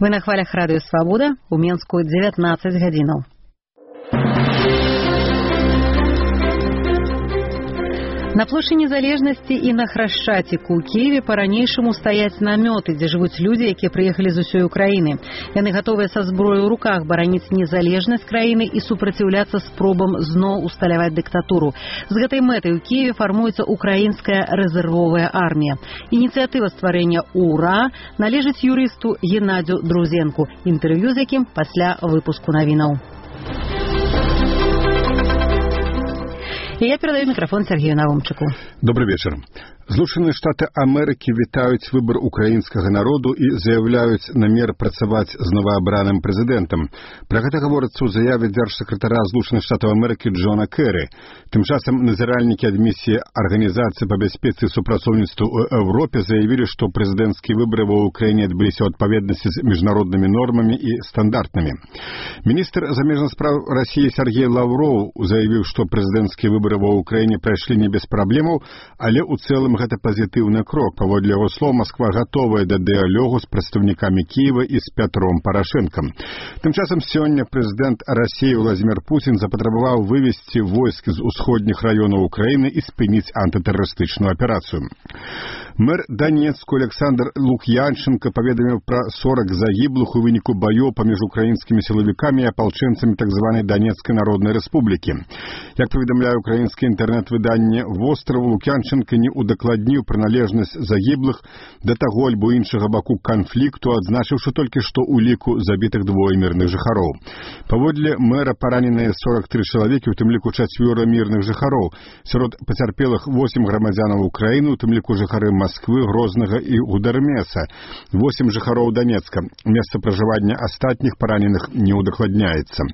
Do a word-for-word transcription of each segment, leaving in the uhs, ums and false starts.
Вы на хвалях радыё Свабода, у Менску дзевятнаццаць гадзінаў. На плошчы Незалежнасці і на Храшчаціку ў Кіеве па-ранейшаму стаяць намёты, дзе жывуць людзі, якія прыехалі з усёй Украіны. Яны гатовыя са зброяй у руках бараніць незалежнасць краіны і супраціўляцца спробам зноў усталяваць дыктатуру. З гэтай мэтай у Кіеве фармуецца украінская рэзервовая армія. Ініцыятыва стварэння УРА належыць юрысту Геннадзю Друзенку, інтэрв'ю з якім пасля выпуску навінаў. І я перадаю мікрафон Сергею Навумчыку. Добрый вечер. Злучаныя Штаты Амерыкі вітаюць выбар украінскага народу і заяўляюць намер працаваць з новаабраным прэзідэнтам. Пра гэта гаворыцца ў заяве дзяржсакратара Злучаных Штатаў Амерыкі Джона Кэры. Тым часам назіральнікі ад місіі Арганізацыі па бяспецы і супрацоўніцтву ў Еўропе заявілі, што прэзідэнцкія выбары ва ўкраіне адбыліся ў адпаведнасці з міжнароднымі нормамі і стандартамі. Міністр замежных спраў Расіі Сергей Лаўроў заявіў, што прэзідэнцкія выбары ва ўкраіне прайшлі не без праблемаў, але ў цэлым гэта пазітыўны крок. Паводле яго слоў, Масква гатовая да дыялогу з прадстаўнікамі Кіева і з Пятром Парашэнкам. Тым часам сёння прэзідэнт Расіі Владзімір Пуцін запатрабаваў вывесці войскі з усходніх раёнаў Украіны і спыніць антытэрарыстычную аперацыю. Мэр Данецку Александр Лук'янченко паведаміў пра сорок загіблых у выніку баёў паміж украінскімі сілавікамі і апалчэнцамі так званай Данецкай Народнай Рэспублікі. Як паведамляе украінскае інтэрнэт-выданне «Востраў», Лук'янченко не удакладніў прыналежнасць загіблых да таго альбо іншага баку канфлікту, адзначыўшы толькі, што ў ліку забітых двое мірных жыхароў. Паводле мэра параненыя сорок тры чалавекі, у тым ліку чацвёра мірных жыхароў. Сярод пацярпелых восем грамадзянаў Украіны, у тым ліку жыхары Масквы, Грознага і Гудармеса, восем жыхароў Данецка. Месца пражывання астатніх параненых не удакладняецца.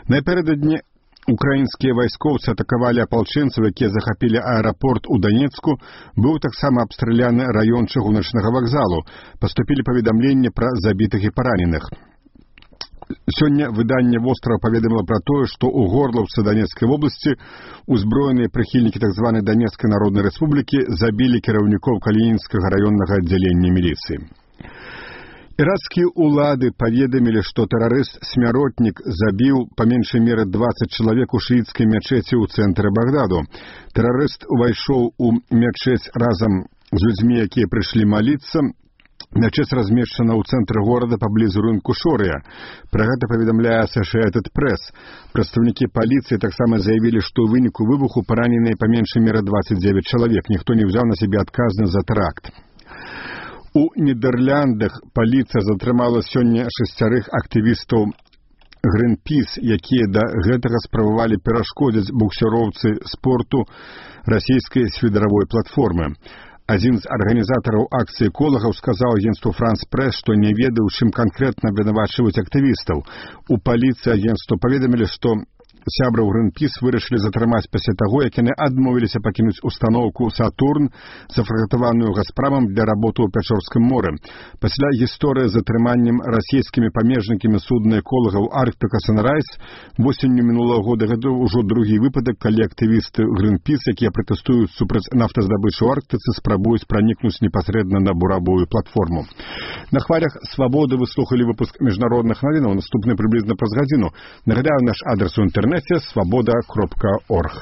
Напярэдадні украінскія вайскоўцы атакавалі апалчэнцаў, якія захапілі аэрапорт у Данецку. Быў таксама абстраляны раён чыгуначнага вакзалу. Паступілі паведамленні пра забітых і параненых. Сёння выданне «Востраў» паведаміла пра тое, што ў Горлаўцы Данецкай вобласці узброеныя прыхільнікі так званай Данецкай Народнай Рэспублікі забілі кіраўнікоў Калінінскага раённага аддзялення міліцыі. Іракскія ўлады паведамілі, што тэрарыст-смяротнік забіў па меншай меры дваццаць чалавек у шыіцкай мячэці ў цэнтры Багдаду. Тэрарыст увайшоў у мячэць разам з людзьмі, якія прыйшлі маліцца. Мячэць размешчана ў цэнтры горада паблізу рынку Шорыя. Пра гэта паведамляе Associated Press. Прадстаўнікі паліцыі таксама заявілі, што ў выніку выбуху параненыя па меншай меры дваццаць дзевяць чалавек. Ніхто не ўзяў на сябе адказнасць за тэракт. У Нідэрляндах паліцыя затрымала сёння шасцярых актывістаў Greenpeace, якія да гэтага спрабавалі перашкодзіць буксіроўцы спорту расійскай свідаравой платформы. Адзін з арганізатараў акцыі эколагаў сказаў агенцтву France Press, што не ведаў, чым канкрэтна абвінавачваюць актывістаў. У паліцыі агенцтва паведамілі, што сябраў Greenpeace вырашылі затрымаць пасля таго, як яны адмовіліся пакінуць устаноўку «Сатурн», зафрагатаваную «Газпрамам» для работы ў Пячорскім моры. Пасля гісторыі з затрыманнем расійскімі памежнікамі судна эколагаў «Арктика Санрайз» восенню мінулага года гэта ўжо другі выпадак, калі актывісты Greenpeace, якія пратэстуюць супраць нафтаздабычы ў Арктыцы, спрабуюць пранікнуць непасрэдна на буравую платформу. На хвалях Свабоды вы слухалі выпуск міжнародных навінаў, наступны прыблізна праз гадзіну. Нагадаю, наш адрес у інтэрнэце свабода кропка орг.